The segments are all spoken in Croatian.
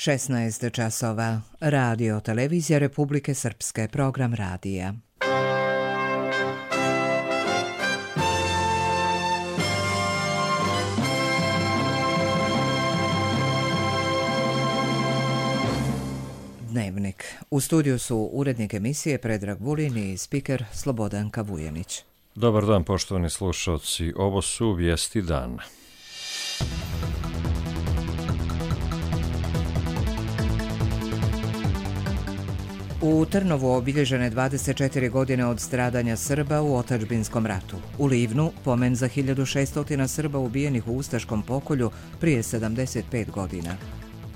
16 časova. Radio Televizija Republike Srpske, program radija. Dnevnik. U studiju su urednik emisije Predrag Vulin i spiker Slobodan Kavujenić. Dobar dan, poštovani slušalci. Ovo su vijesti dana. U Trnovu obilježene 24 godine od stradanja Srba u otadžbinskom ratu. U Livnu pomen za 1600 Srba ubijenih u ustaškom pokolju prije 75 godina.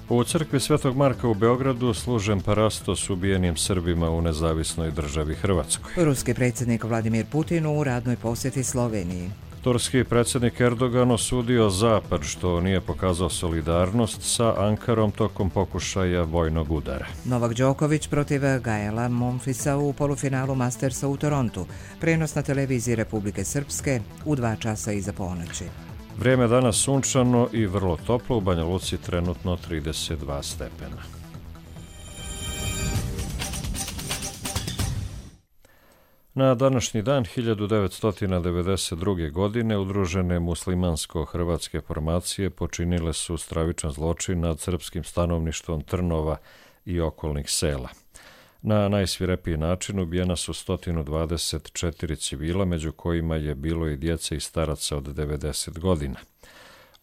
U crkvi Svetog Marka u Beogradu služen parastos ubijenim Srbima u nezavisnoj državi Hrvatskoj. Ruski predsjednik Vladimir Putin u radnoj posjeti Sloveniji. Turski predsjednik Erdogan osudio Zapad što nije pokazao solidarnost sa Ankarom tokom pokušaja vojnog udara. Novak Đoković protiv Gaela Monfilsa u polufinalu Mastersa u Torontu. Prenos na televiziji Republike Srpske u 2 časa iza ponoći. Vrijeme danas sunčano i vrlo toplo, u Banja Luci trenutno 32 stepena. Na današnji dan 1992. godine udružene muslimansko-hrvatske formacije počinile su stravičan zločin nad srpskim stanovništvom Trnova i okolnih sela. Na najsvirepiji način ubijena su 124 civila, među kojima je bilo i djece i staraca od 90 godina.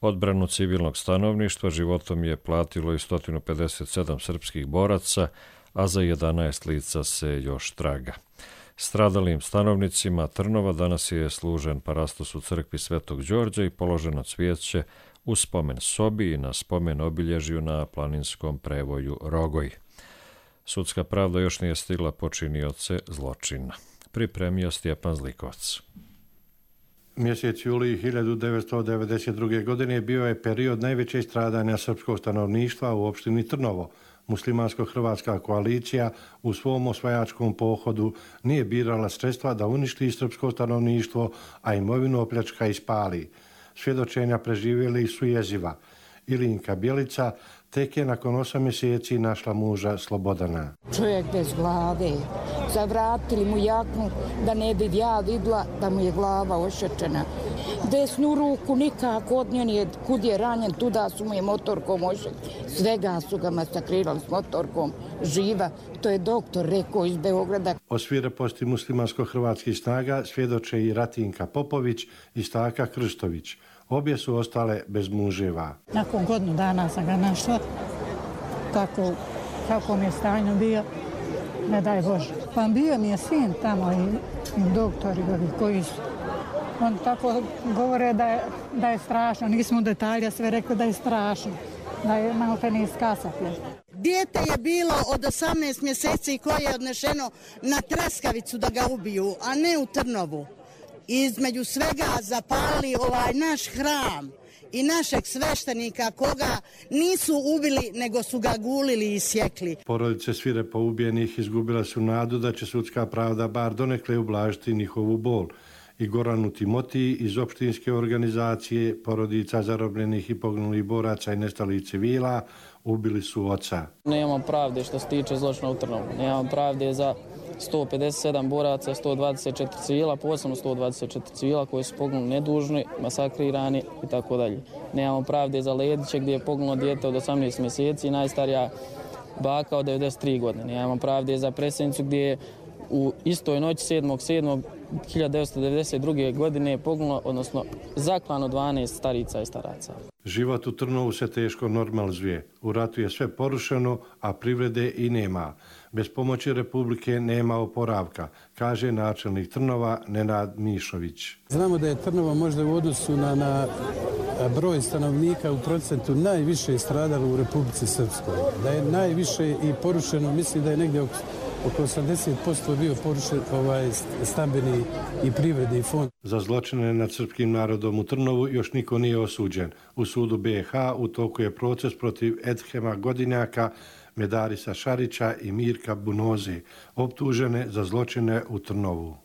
Odbranu civilnog stanovništva životom je platilo i 157 srpskih boraca, a za 11 lica se još traga. Stradalim stanovnicima Trnova danas je služen parastos u crkvi Svetog Đorđa i položeno cvijeće u spomen sobi i na spomen obilježju na planinskom prevoju Rogoj. Sudska pravda još nije stigla počinioce zločina. Pripremio Stjepan Zlikovac. Mjesec julij 1992. godine bio je period najvećeg stradanja srpskog stanovništva u opštini Trnovo. Muslimansko-hrvatska koalicija u svom osvajačkom pohodu nije birala sredstva da uništi srpsko stanovništvo, a imovinu opljačka i spali. Svjedočenja preživjeli su jeziva. Ilinka Bjelica tek je nakon 8 mjeseci našla muža Slobodana. Čovjek bez glave. Zavratili mu jaknu da ne bi ja vidla da mu je glava ošečena. Desnu ruku nikako od nje, kud je ranjen, tuda su mu je motorkom ošet. Svega su ga masakrirali s motorkom. Živa, to je doktor rekao iz Beograda. O svireposti muslimansko-hrvatskih snaga svjedoče i Ratinka Popović i Staka Krstović. Obje su ostale bez muževa. Nakon godinu dana sam ga našla, kako mi je stanju bio, ne daj Bože. Pa bio mi je sin tamo i doktori koji su. On tako govore da je strašno, nismo u detalja sve rekli da je strašno, da je malo te ne iskasaplje. Dijete je bilo od 18 mjeseci koje je odnešeno na Treskavicu da ga ubiju, a ne u Trnovu. Između svega zapalili ovaj naš hram i našeg sveštenika koga nisu ubili nego su ga gulili i sjekli. Porodice svirepo ubijenih izgubila su nadu da će sudska pravda bar donekle ublažiti njihovu bol. I Goranu Timotiji iz opštinske organizacije porodica zarobljenih i poginulih boraca i nestalih civila ubili su oca. Nemamo pravde što se tiče zločina u Trnovu. Nemamo pravde za 157 boraca, 124 civila, posebno 124 civila koji su poginuli nedužni, masakrirani i tako dalje. Nemamo pravde za Lediće gdje je poginulo dijete od 18 mjeseci i najstarija baka od 93 godine. Nemamo pravde za Presenicu gdje je u istoj noći 7.7.1992. godine poginulo, odnosno zaklano 12 starica i staraca. Život u Trnovu se teško normalizuje. U ratu je sve porušeno, a privrede i nema. Bez pomoći Republike nema oporavka, kaže načelnik Trnova Nenad Mišović. Znamo da je Trnovo možda u odnosu na broj stanovnika u procentu najviše stradalo u Republici Srpskoj. Da je najviše i porušeno, mislim da je negdje oko 80% bio porušen stambeni i privredni fond. Za zločine nad srpskim narodom u Trnovu još niko nije osuđen. U sudu BiH u toku je proces protiv Edhema Godinjaka, Medarisa Šarića i Mirka Bunoze, optužene za zločine u Trnovu.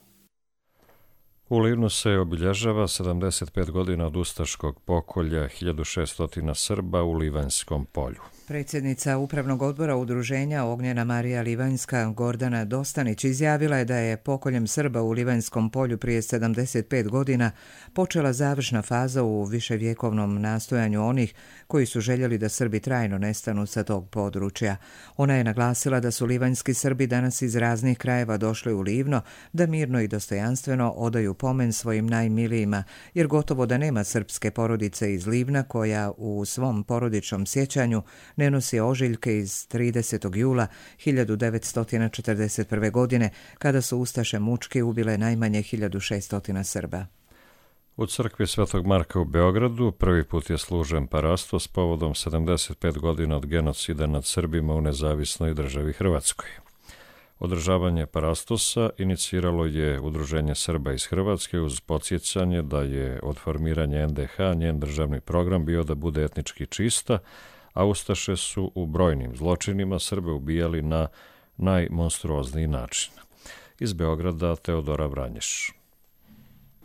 U Livnu se obilježava 75 godina od ustaškog pokolja 1600 Srba u Livanjskom polju. Predsjednica Upravnog odbora udruženja Ognjena Marija Livanjska Gordana Dostanić izjavila je da je pokoljem Srba u Livanjskom polju prije 75 godina počela završna faza u viševjekovnom nastojanju onih koji su željeli da Srbi trajno nestanu sa tog područja. Ona je naglasila da su livanjski Srbi danas iz raznih krajeva došli u Livno da mirno i dostojanstveno odaju pomen svojim najmilijima, jer gotovo da nema srpske porodice iz Livna koja u svom porodičnom sjećanju ne nosi ožiljke iz 30. jula 1941. godine, kada su ustaše mučki ubile najmanje 1600 Srba. U crkvi Svetog Marka u Beogradu prvi put je služen parastos povodom 75 godina od genocida nad Srbima u nezavisnoj državi Hrvatskoj. Održavanje parastosa iniciralo je Udruženje Srba iz Hrvatske uz podsjećanje da je od formiranja NDH njen državni program bio da bude etnički čista, a ustaše su u brojnim zločinima Srbe ubijali na najmonstruozniji način. Iz Beograda Teodora Vranješ.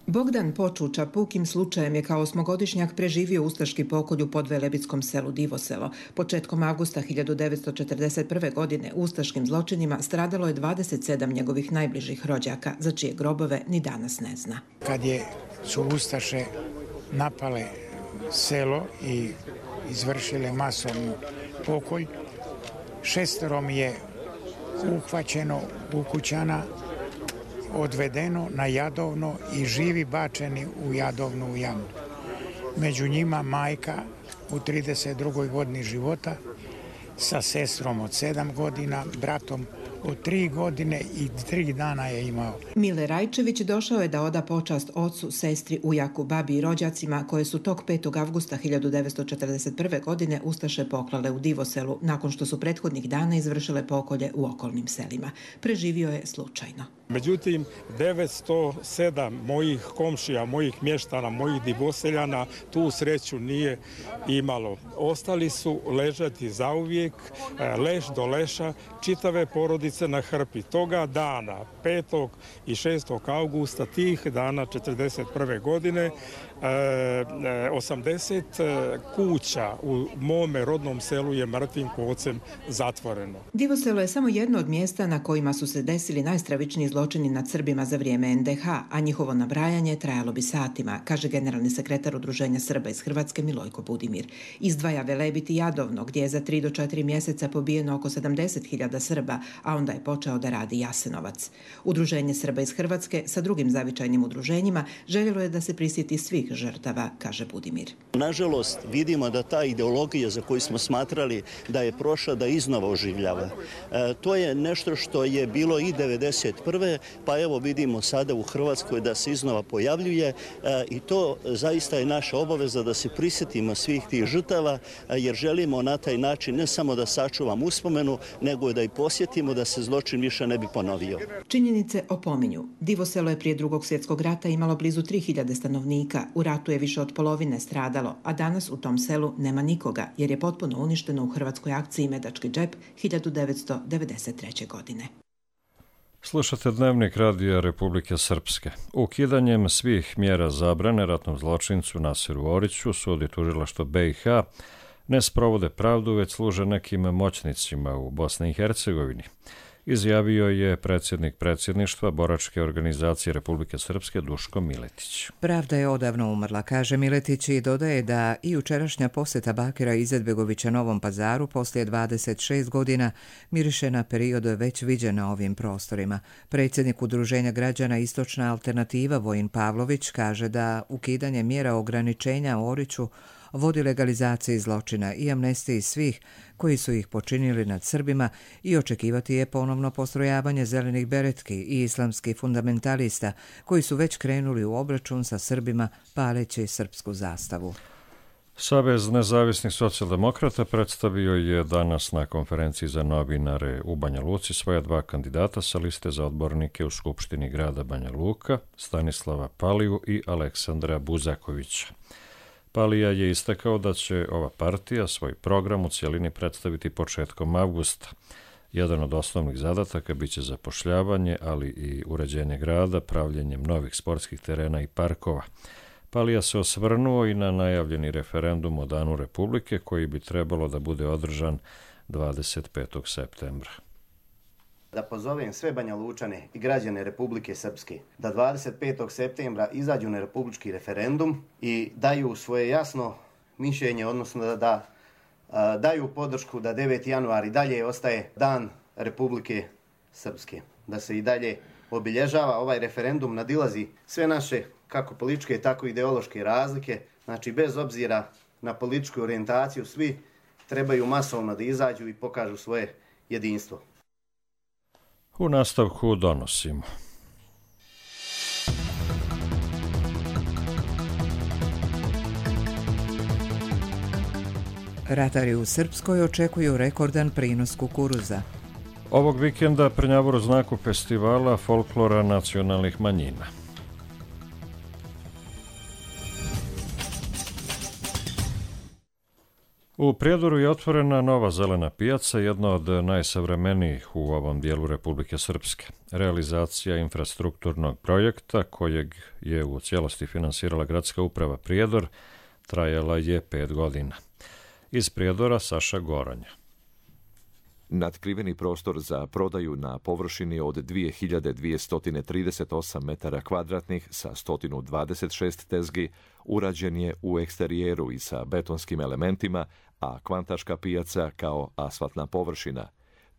Bogdan Počuča pukim slučajem je kao 8-godišnjak preživio ustaški pokolj u podvelebitskom selu Divoselo. Početkom avgusta 1941. godine ustaškim zločinima stradalo je 27 njegovih najbližih rođaka, za čije grobove ni danas ne zna. Kad su ustaše napale selo i izvršile masovnu pokolj, 6 je uhvaćeno u kućana, odvedeno na Jadovno i živi bačeni u Jadovnu jamu. Među njima majka u 32. godini života sa sestrom od 7 godina, bratom od 3 godine i 3 dana je imao. Mile Rajčević došao je da oda počast ocu, sestri, ujaku, babi i rođacima koje su tog 5. avgusta 1941. godine ustaše poklale u Divoselu nakon što su prethodnih dana izvršile pokolje u okolnim selima. Preživio je slučajno. Međutim, 907 mojih komšija, mojih mještana, mojih Divoseljana tu sreću nije imalo. Ostali su ležati zauvijek, leš do leša, čitave porodice na hrpi. Toga dana, 5. i 6. augusta, tih dana 1941. godine, 80 kuća u mome rodnom selu je mrtvim kocem zatvoreno. Divoselo je samo jedno od mjesta na kojima su se desili najstravičniji zločini nad Srbima za vrijeme NDH, a njihovo nabrajanje trajalo bi satima, kaže generalni sekretar Udruženja Srba iz Hrvatske Milojko Budimir. Izdvaja Velebit i Jadovno, gdje je za 3 do 4 mjeseca pobijeno oko 70.000 Srba, a onda je počeo da radi Jasenovac. Udruženje Srba iz Hrvatske sa drugim zavičajnim udruženjima željelo je da se prisjeti svih žrtava, kaže Budimir. Nažalost, vidimo da ta ideologija za koju smo smatrali da je prošla, da iznova oživljava. To je nešto što je bilo i 1991. pa evo vidimo sada u Hrvatskoj da se iznova pojavljuje i to zaista je naša obaveza da se prisjetimo svih tih žrtava, jer želimo na taj način ne samo da sačuvamo uspomenu, nego da i posjetimo da se zločin više ne bi ponovio. Činjenice opominju. Divoselo je prije Drugog svjetskog rata imalo blizu 3000 stanovnika. U ratu je više od polovine stradalo, a danas u tom selu nema nikoga, jer je potpuno uništeno u hrvatskoj akciji Medački džep 1993. godine. Slušate Dnevnik Radija Republike Srpske. Ukidanjem svih mjera zabrane ratnom zločincu Nasiru Oriću sud i tužilaštvo BiH ne sprovode pravdu, već služe nekim moćnicima u Bosni i Hercegovini, izjavio je predsjednik predsjedništva Boračke organizacije Republike Srpske Duško Miletić. Pravda je odavno umrla, kaže Miletić i dodaje da i jučerašnja posjeta Bakira Izetbegovića Novom Pazaru poslije 26 godina miriše na period već viđen na ovim prostorima. Predsjednik Udruženja građana Istočna alternativa Vojin Pavlović kaže da ukidanje mjera ograničenja Oriću vodi legalizaciji zločina i amnestiji svih koji su ih počinili nad Srbima i očekivati je ponovno postrojavanje zelenih beretki i islamskih fundamentalista koji su već krenuli u obračun sa Srbima paleći srpsku zastavu. Savez nezavisnih socijaldemokrata predstavio je danas na konferenciji za novinare u Banja Luci svoja 2 kandidata sa liste za odbornike u Skupštini grada Banja Luka, Stanislava Paliju i Aleksandra Buzakovića. Palija je istakao da će ova partija svoj program u cijelini predstaviti početkom avgusta. Jedan od osnovnih zadataka biće zapošljavanje, ali i uređenje grada, pravljenjem novih sportskih terena i parkova. Palija se osvrnuo i na najavljeni referendum o Danu Republike koji bi trebalo da bude održan 25. septembra. Da pozovem sve Banja Lučane i građane Republike Srpske da 25. septembra izađu na republički referendum i daju svoje jasno mišljenje, odnosno da daju podršku da 9. januar i dalje ostaje Dan Republike Srpske. Da se i dalje obilježava. Ovaj referendum nadilazi sve naše kako političke, tako i ideološke razlike. Znači, bez obzira na političku orijentaciju, svi trebaju masovno da izađu i pokažu svoje jedinstvo. U nastavku donosimo. Ratari u Srpskoj očekuju rekordan prinos kukuruza. Ovog vikenda Prnjavor u znaku festivala folklora nacionalnih manjina. U Prijedoru je otvorena nova zelena pijaca, jedna od najsavremenijih u ovom dijelu Republike Srpske. Realizacija infrastrukturnog projekta, kojeg je u cijelosti finansirala gradska uprava Prijedor, trajala je 5 godina. Iz Prijedora Saša Goranja. Natkriveni prostor za prodaju na površini od 2238 metara kvadratnih sa 126 tezgi urađen je u eksterijeru i sa betonskim elementima, a Kvantaška pijaca kao asfaltna površina.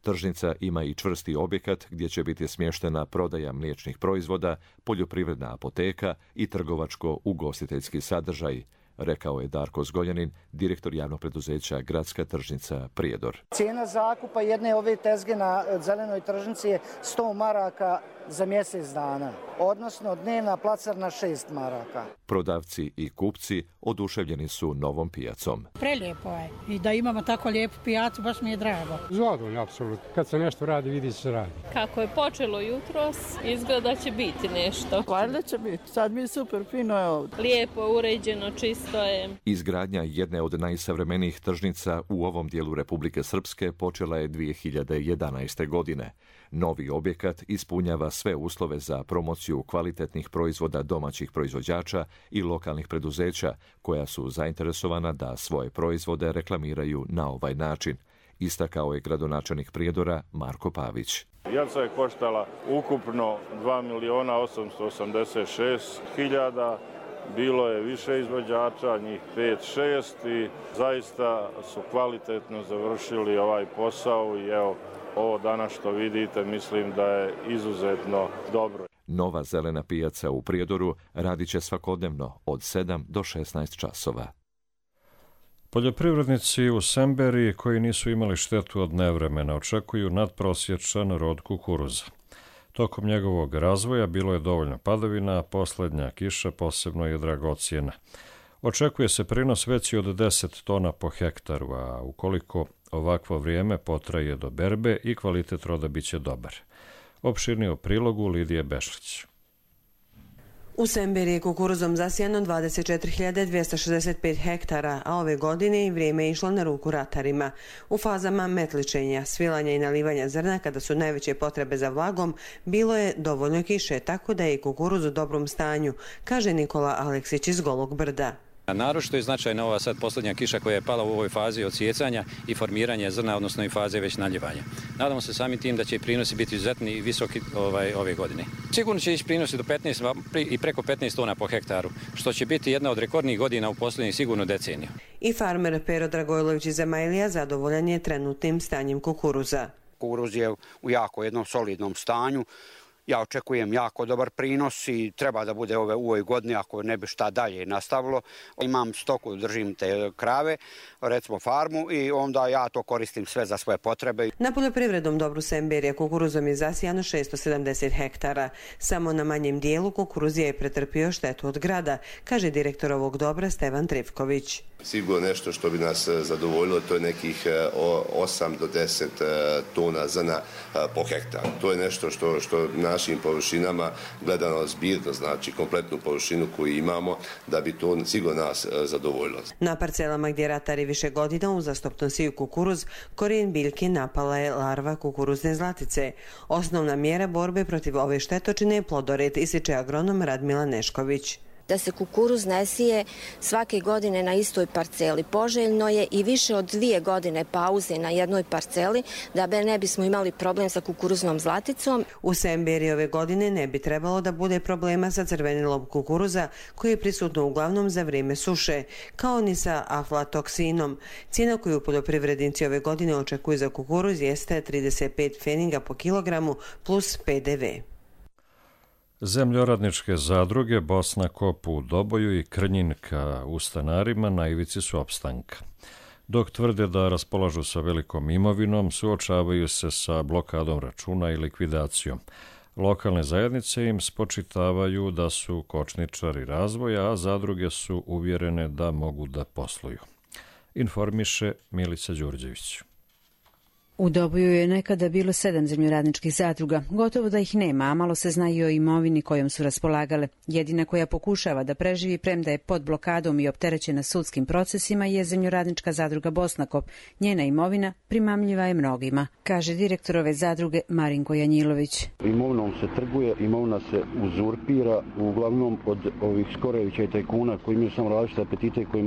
Tržnica ima i čvrsti objekat gdje će biti smještena prodaja mliječnih proizvoda, poljoprivredna apoteka i trgovačko-ugostiteljski sadržaj, rekao je Darko Zgoljanin, direktor javnog preduzeća Gradska tržnica Prijedor. Cijena zakupa jedne ove tezge na zelenoj tržnici je 100 maraka za mjesec dana, odnosno dnevna placarna 6 maraka. Prodavci i kupci oduševljeni su novom pijacom. Prelijepo je i da imamo tako lijepu pijacu, baš mi je drago. Zadovoljno, apsolutno. Kad se nešto radi, vidi se radi. Kako je počelo jutros, izgleda će biti nešto. Valjda će biti, sad mi je super, fino je ovdje. Lijepo, uređeno, čisto je. Izgradnja jedne od najsavremenijih tržnica u ovom dijelu Republike Srpske počela je 2011. godine. Novi objekat ispunjava sve uslove za promociju kvalitetnih proizvoda domaćih proizvođača i lokalnih preduzeća koja su zainteresovana da svoje proizvode reklamiraju na ovaj način, istakao je gradonačelnik Prijedora Marko Pavić. Pijaca je koštala ukupno 2.886.000, bilo je više izvođača, njih 5-6 i zaista su kvalitetno završili ovaj posao i evo, ovo danas što vidite mislim da je izuzetno dobro. Nova zelena pijaca u Prijedoru radit će svakodnevno od 7 do 16 časova. Poljoprivrednici u Semberiji koji nisu imali štetu od nevremena očekuju nadprosječan rod kukuruza. Tokom njegovog razvoja bilo je dovoljno padavina, a posljednja kiša posebno je dragocjena. Očekuje se prinos veći od 10 tona po hektaru, a ukoliko ovakvo vrijeme potraje do berbe i kvalitet roda biće dobar. Opširnije u prilogu Lidije Bešlić. U Semberiji je kukuruzom zasijano 24.265 hektara, a ove godine i vrijeme je išlo na ruku ratarima. U fazama metličenja, svilanja i nalivanja zrna, kada su najveće potrebe za vlagom, bilo je dovoljno kiše, tako da je i kukuruz u dobrom stanju, kaže Nikola Aleksić iz Golog Brda. Naročito je značajna ova sad posljednja kiša koja je pala u ovoj fazi odsjecanja i formiranja zrna, odnosno i faze već naljevanja. Nadamo se samim tim da će i prinosi biti izuzetni i visoki ove godine. Sigurno će ići prinosi do 15 i preko 15 tona po hektaru, što će biti jedna od rekordnih godina u posljednjih sigurno deceniju. I farmer Pero Dragojlović iz Zemailija zadovoljan je trenutnim stanjem kukuruza. Kukuruz je u jako jednom solidnom stanju. Ja očekujem jako dobar prinos i treba da bude u ovoj godini ako ne bi šta dalje nastavilo. Imam stoku, držim te krave, recimo farmu i onda ja to koristim sve za svoje potrebe. Na poljoprivrednom dobru Semberija kukuruzom je zasijano 670 hektara. Samo na manjem dijelu kukuruzija je pretrpio štetu od grada, kaže direktor ovog dobra Stevan Trivković. Sigurno nešto što bi nas zadovoljilo, to je nekih 8 do 10 tona zrna po hektaru. To je nešto što našim površinama gledano zbirno, znači kompletnu površinu koju imamo, da bi to sigurno nas zadovoljilo. Na parcelama gdje ratari više godina uzastopno siju kukuruz, korijen biljke napala je larva kukuruzne zlatice. Osnovna mjera borbe protiv ove štetočine je plodored, ističe agronom Radmila Nešković. da se kukuruz ne sije svake godine na istoj parceli. Poželjno je i više od 2 godine pauze na jednoj parceli da ne bismo imali problem sa kukuruznom zlaticom. U Semberi ove godine ne bi trebalo da bude problema sa crvenilom kukuruza koji je prisutno uglavnom za vrijeme suše, kao ni sa aflatoksinom. Cijena koju poljoprivrednici ove godine očekuju za kukuruz jeste 35 pfeninga po kilogramu plus PDV. Zemljoradničke zadruge Bosna Kop u Doboju i Krnjinka u Stanarima na ivici su opstanka. Dok tvrde da raspolažu sa velikom imovinom, suočavaju se sa blokadom računa i likvidacijom. Lokalne zajednice im spočitavaju da su kočničari razvoja, a zadruge su uvjerene da mogu da posluju. Informiše Milica Đurđević. U Doboju je nekada bilo 7 zemljoradničkih zadruga. Gotovo da ih nema, a malo se zna i o imovini kojom su raspolagale. Jedina koja pokušava da preživi, premda je pod blokadom i opterećena sudskim procesima, je zemljoradnička zadruga Bosnakop. Njena imovina primamljiva je mnogima, kaže direktor ove zadruge Marinko Janjilović. Imovinom se trguje, imovina se uzurpira, uglavnom od ovih Skorevića i tajkuna koji imaju samo različite apetite koji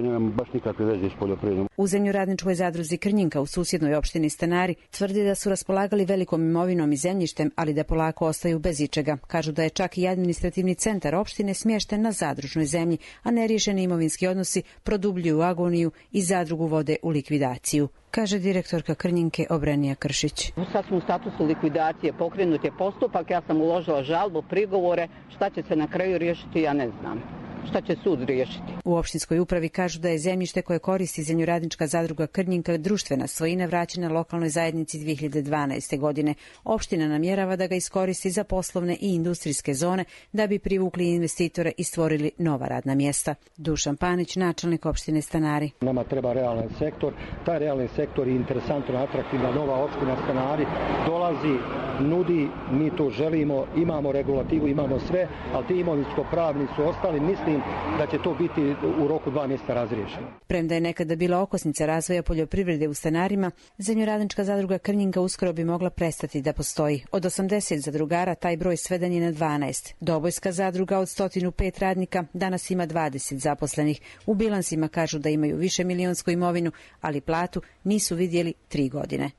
nemaju baš nikakve veze s poljoprivredom. U zemljoradničkoj zadruzi Krnjinka u susjednoj opštini Stanari tvrdi da su raspolagali velikom imovinom i zemljištem, ali da polako ostaju bez ičega. Kažu da je čak i administrativni centar opštine smješten na zadružnoj zemlji, a neriješeni imovinski odnosi produbljuju agoniju i zadrugu vode u likvidaciju, kaže direktorka Krnjinke Obrenija Kršić. Sad smo u statusu likvidacije, pokrenut je postupak, ja sam uložila žalbu, prigovore, šta će se na kraju riješiti, ja ne znam. Šta će sud riješiti? U opštinskoj upravi kažu da je zemljište koje koristi zemljoradnička zadruga Krnjinka društvena svojina vraćena lokalnoj zajednici 2012. godine. Opština namjerava da ga iskoristi za poslovne i industrijske zone da bi privukli investitore i stvorili nova radna mjesta. Dušan Panić, načelnik opštine Stanari. Nama treba realan sektor. Taj realni sektor je interesantno, atraktivna nova opština Stanari. Dolazi, nudi, mi to želimo, imamo regulativu, imamo sve, ali ti imovinsko-pravni su ostali. Mislim da će to biti u roku 2 mjeseca razriješeno. Premda je nekada bila okosnica razvoja poljoprivrede u Stanarima, zemljoradnička zadruga Krnjinka uskoro bi mogla prestati da postoji. Od 80 zadrugara taj broj sveden je na 12. Dobojska zadruga od 105 radnika danas ima 20 zaposlenih. U bilansima kažu da imaju više milionsku imovinu, ali platu nisu vidjeli 3 godine.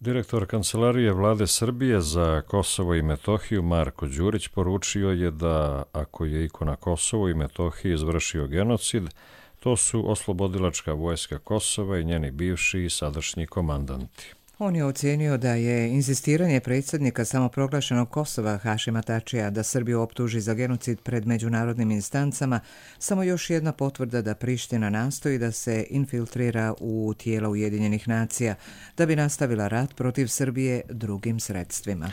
Direktor Kancelarije Vlade Srbije za Kosovo i Metohiju Marko Đurić poručio je da ako je iko na Kosovo i Metohiji izvršio genocid, to su Oslobodilačka vojska Kosova i njeni bivši i sadašnji komandanti. On je ocijenio da je inzistiranje predsjednika samoproglašenog Kosova Hašima Tačija da Srbiju optuži za genocid pred međunarodnim instancama samo još jedna potvrda da Priština nastoji da se infiltrira u tijela Ujedinjenih nacija da bi nastavila rat protiv Srbije drugim sredstvima.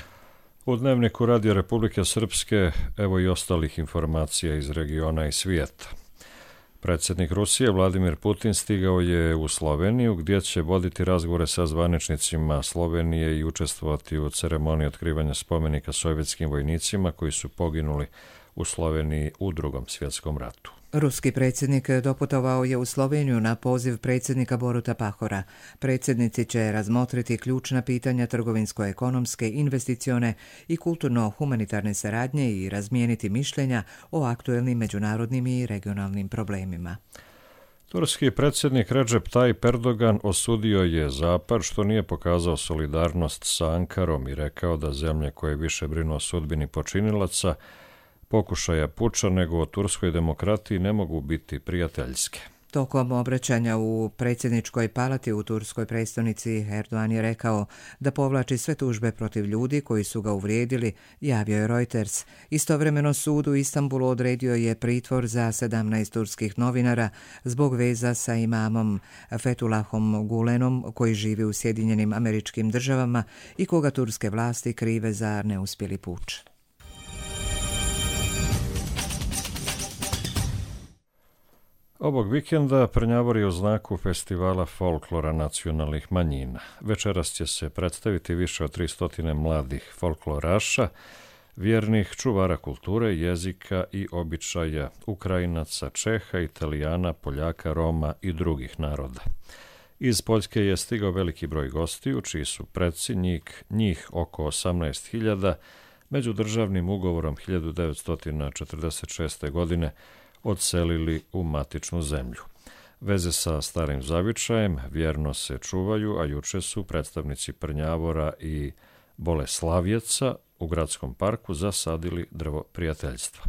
U Dnevniku Radio Republike Srpske evo i ostalih informacija iz regiona i svijeta. Predsjednik Rusije Vladimir Putin stigao je u Sloveniju gdje će voditi razgovore sa zvaničnicima Slovenije i učestvovati u ceremoniji otkrivanja spomenika sovjetskim vojnicima koji su poginuli u Sloveniji u Drugom svjetskom ratu. Ruski predsjednik doputovao je u Sloveniju na poziv predsjednika Boruta Pahora. Predsjednici će razmotriti ključna pitanja trgovinsko-ekonomske, investicione i kulturno-humanitarne saradnje i razmijeniti mišljenja o aktuelnim međunarodnim i regionalnim problemima. Turski predsjednik Recep Tayyip Erdogan osudio je Zapad što nije pokazao solidarnost sa Ankarom i rekao da zemlje koje više brinu o sudbini počinilaca pokušaja puča nego o turskoj demokratiji ne mogu biti prijateljske. Tokom obraćanja u predsjedničkoj palati u turskoj prestonici Erdogan je rekao da povlači sve tužbe protiv ljudi koji su ga uvrijedili, javio je Reuters. Istovremeno sud u Istanbulu odredio je pritvor za 17 turskih novinara zbog veza sa imamom Fethullahom Gulenom koji živi u Sjedinjenim Američkim Državama i koga turske vlasti krive za neuspjeli puč. Ovog vikenda Prnjavor je u znaku festivala folklora nacionalnih manjina. Večeras će se predstaviti više od 300 mladih folkloraša, vjernih čuvara kulture, jezika i običaja, Ukrajinaca, Čeha, Italijana, Poljaka, Roma i drugih naroda. Iz Poljske je stigao veliki broj gostiju, čiji su preci, njih oko 18.000, međudržavnim ugovorom 1946. godine odselili u matičnu zemlju. Veze sa starim zavičajem vjerno se čuvaju, a juče su predstavnici Prnjavora i Boleslavjeca u gradskom parku zasadili drvo prijateljstva.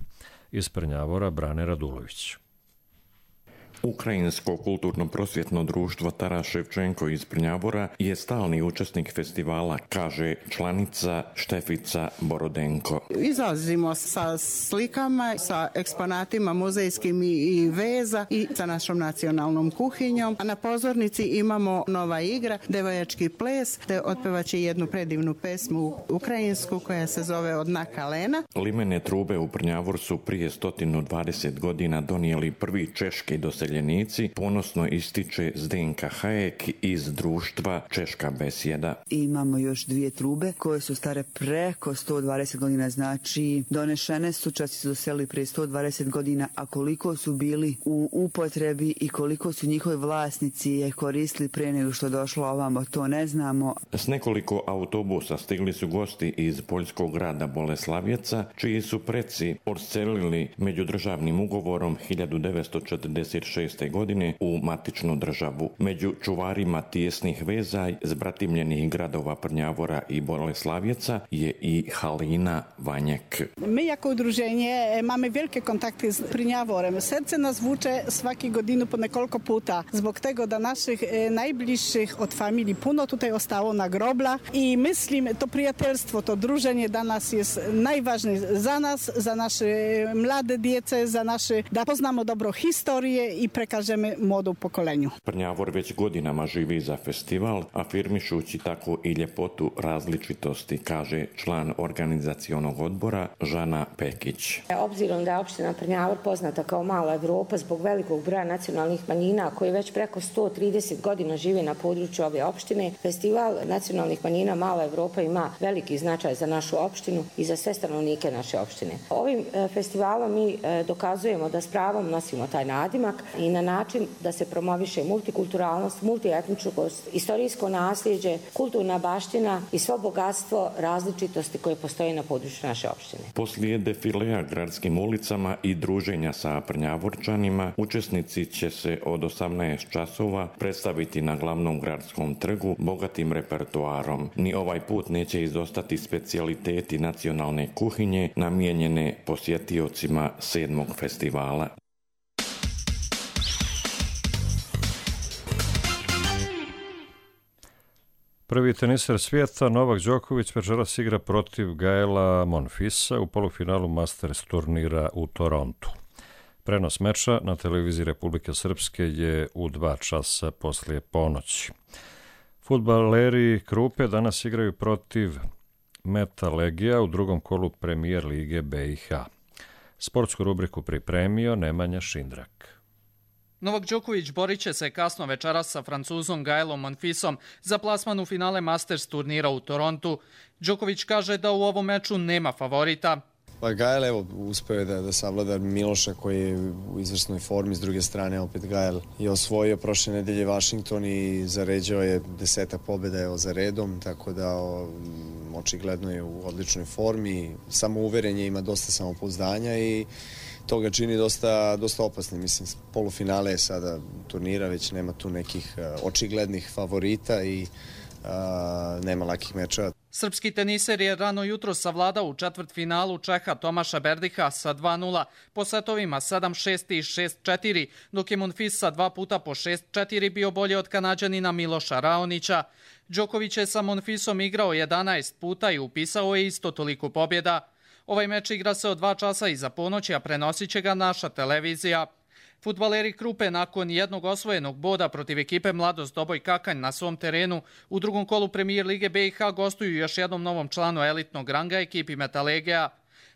Iz Prnjavora Brane Radulović. Ukrajinsko kulturno-prosvjetno društvo Taras Ševčenko iz Prnjavora je stalni učesnik festivala, kaže članica Štefica Borodenko. Izlazimo sa slikama, sa eksponatima muzejskim i veza i sa našom nacionalnom kuhinjom. A na pozornici imamo nova igra, devojački ples, te otpevaće jednu predivnu pesmu ukrajinsku koja se zove Odna kalena. Limene trube u Prnjavor su prije 120 godina donijeli prvi češki doseljenici, ponosno ističe Zdenka Hajek iz društva Češka besjeda. Imamo još 2 trube koje su stare preko 120 godina, znači donešene su, časti su doselili prije 120 godina, a koliko su bili u upotrebi i koliko su njihovi vlasnici je koristili prije nego što došlo ovamo, to ne znamo. S nekoliko autobusa stigli su gosti iz poljskog grada Boleslavjeca, čiji su preci odselili međudržavnim ugovorom 1946. godine u matičnu državu. Među čuvarima tijesnih veza zbratimljenih gradova Prnjavora i Boleslavjeca je i Halina Vanjek. Mi jako udruženje mamy velike kontakty z Prnjavorem. Serce nas vuče svaki godinu po nekoliko puta. Zbog tego da naših najbližših od familiji puno tutaj ostalo na grobla i mislim to prijateljstvo, to druženje danas je najvažnije za nas, za naše mlade djece, za naše da poznamo dobro historije i prekažeme modu pokolenju. Prnjavor već godinama živi za festival, afirmišući tako i ljepotu različitosti, kaže član organizacionog odbora Žana Pekić. Obzirom da je opština Prnjavor poznata kao mala Evropa zbog velikog broja nacionalnih manjina koji već preko 130 godina žive na području ove opštine, festival nacionalnih manjina Mala Evropa ima veliki značaj za našu opštinu i za sve stanovnike naše opštine. Ovim festivalom mi dokazujemo da s pravom nosimo taj nadimak i na način da se promoviše multikulturalnost, multietničkost, istorijsko nasljeđe, kulturna baština i svo bogatstvo različitosti koje postoje na području naše opštine. Poslije defilea gradskim ulicama i druženja sa Prnjavorčanima, učesnici će se od 18 časova predstaviti na glavnom gradskom trgu bogatim repertoarom. Ni ovaj put neće izostati specijaliteti nacionalne kuhinje namijenjene posjetiocima 7. festivala. Prvi teniser svijeta Novak Đoković večeras igra protiv Gaela Monfilsa u polufinalu Masters turnira u Torontu. Prenos meča na televiziji Republike Srpske je u 2 časa poslije ponoći. Fudbaleri Krupe danas igraju protiv Meta Legija u drugom kolu Premijer lige BiH. Sportsku rubriku pripremio Nemanja Šindrak. Novak Đoković borit će se kasno večeras sa Francuzom Gaelom Monfilsom za plasman u finale Masters turnira u Torontu. Đoković kaže da u ovom meču nema favorita. Pa Gael evo uspeo je da savlada Miloša koji je u izvrsnoj formi, s druge strane opet Gael je osvojio prošle nedelje Washington i zaređao je 10 pobjeda za redom, tako da očigledno je u odličnoj formi, samouverenje, ima dosta samopouzdanja i to ga čini dosta opasnim. Mislim, polufinale je sada turnira, već nema tu nekih očiglednih favorita i nema lakih mečeva. Srpski teniser je rano jutro savladao u četvrtfinalu Čeha Tomaša Berdiha sa 2:0 po setovima 7-6 i 6-4, dok je Monfils sa 2 puta po 6-4 bio bolji od Kanađanina Miloša Raonića. Đoković je sa Monfilsom igrao 11 puta i upisao je isto toliko pobjeda. Ovaj meč igra se od 2 časa iza ponoći, a prenosit će ga naša televizija. Fudbaleri Krupe nakon jednog osvojenog boda protiv ekipe Mladost Doboj Kakanj na svom terenu u drugom kolu Premijer lige BiH gostuju još jednom novom članu elitnog ranga ekipi Metalegija.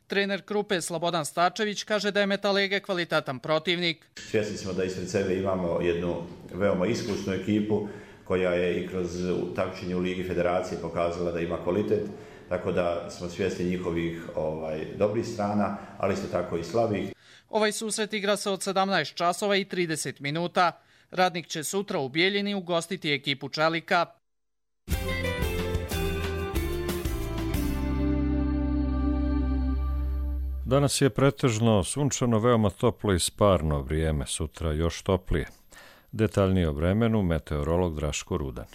Trener Krupe Slobodan Starčević kaže da je Metalege kvalitetan protivnik. Svjesni smo da ispred sebe imamo jednu veoma iskusnu ekipu koja je i kroz takmičenje u Ligi Federacije pokazala da ima kvalitet. Tako da smo svjesni njihovih dobrih strana, ali isto tako i slabih. Ovaj susret igra se od 17 časova i 30 minuta. Radnik će sutra u Bijeljini ugostiti ekipu čelika. Danas je pretežno sunčano, veoma toplo i sparno vrijeme, sutra još toplije. Detaljnije o vremenu meteorolog Draško Rudan.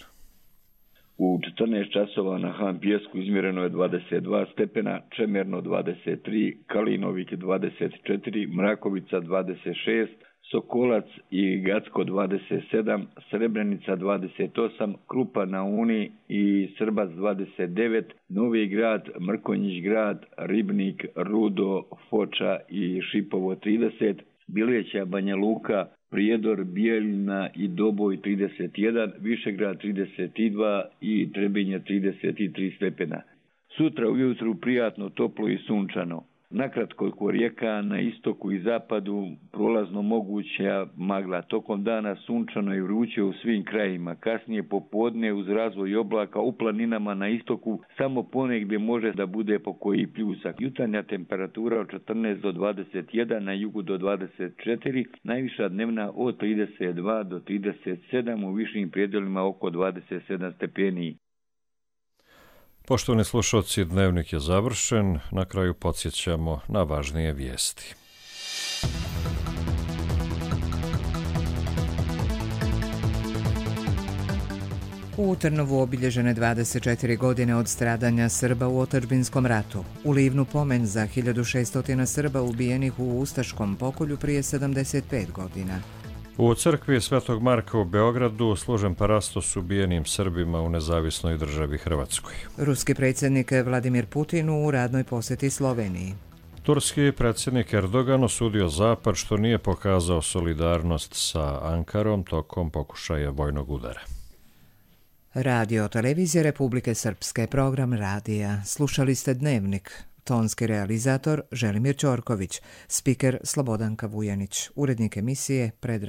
U 14 časova na Han Pijesku izmjereno je 22 stepena, Čemerno 23, Kalinovik 24, Mrakovica 26, Sokolac i Gacko 27, Srebrenica 28, Krupa na Uni i Srbac 29, Novi Grad, Mrkonjić Grad, Ribnik, Rudo, Foča i Šipovo 30, Bileća, Banja Luka, Prijedor, Bijeljina i Doboj 31, Višegrad 32 i Trebinje 33 stepena. Sutra ujutru prijatno, toplo i sunčano. Nakratko oko rijeka, na istoku i zapadu prolazno moguća magla. Tokom dana sunčano i vruće u svim krajima. Kasnije popodne uz razvoj oblaka u planinama na istoku samo ponegdje može da bude po koji pljusak. Jutarnja temperatura od 14 do 21, na jugu do 24, najviša dnevna od 32 do 37, u višim predjelima oko 27 stepeni. Poštovani slušalci, dnevnik je završen. Na kraju podsjećamo na važnije vijesti. U Trnovu obilježene 24 godine od stradanja Srba u otadžbinskom ratu. U Livnu pomen za 1600 Srba ubijenih u ustaškom pokolju prije 75 godina. U crkvi Svetog Marka u Beogradu služen parastos ubijenim Srbima u nezavisnoj državi Hrvatskoj. Ruski predsjednik Vladimir Putin u radnoj posjeti Sloveniji. Turski predsjednik Erdogan osudio Zapad što nije pokazao solidarnost sa Ankarom tokom pokušaja vojnog udara. Radio televizije Republike Srpske, program radija. Slušali ste Dnevnik. Tonski realizator Želimir Ćorković, spiker Slobodanka Vujanić, urednik emisije Predrag